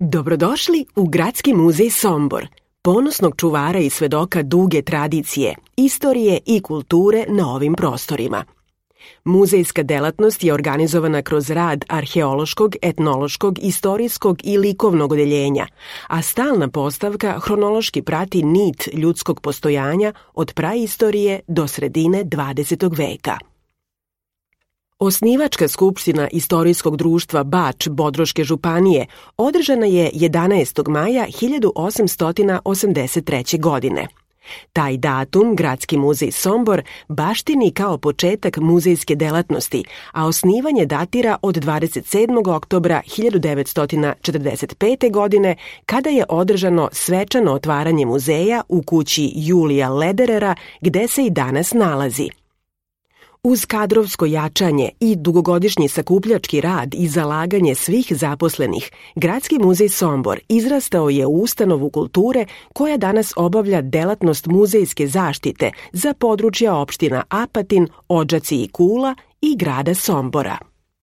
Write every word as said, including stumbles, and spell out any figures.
Dobrodošli u Gradski muzej Sombor, ponosnog čuvara i svedoka duge tradicije, istorije i kulture na ovim prostorima. Muzejska delatnost je organizovana kroz rad arheološkog, etnološkog, istorijskog i likovnog odeljenja, a stalna postavka hronološki prati nit ljudskog postojanja od praistorije do sredine dvadesetog veka. Osnivačka skupština Istorijskog društva Bač Bodroške županije održana je jedanaestog maja hiljadu osamsto osamdeset treće. godine. Taj datum Gradski muzej Sombor baštini kao početak muzejske delatnosti, a osnivanje datira od dvadeset sedmog oktobra hiljadu devetsto četrdeset pete. godine, kada je održano svečano otvaranje muzeja u kući Julija Lederera, gde se i danas nalazi. Uz kadrovsko jačanje i dugogodišnji sakupljački rad i zalaganje svih zaposlenih, Gradski muzej Sombor izrastao je u ustanovu kulture koja danas obavlja delatnost muzejske zaštite za područja opština Apatin, Odžaci i Kula i grada Sombora.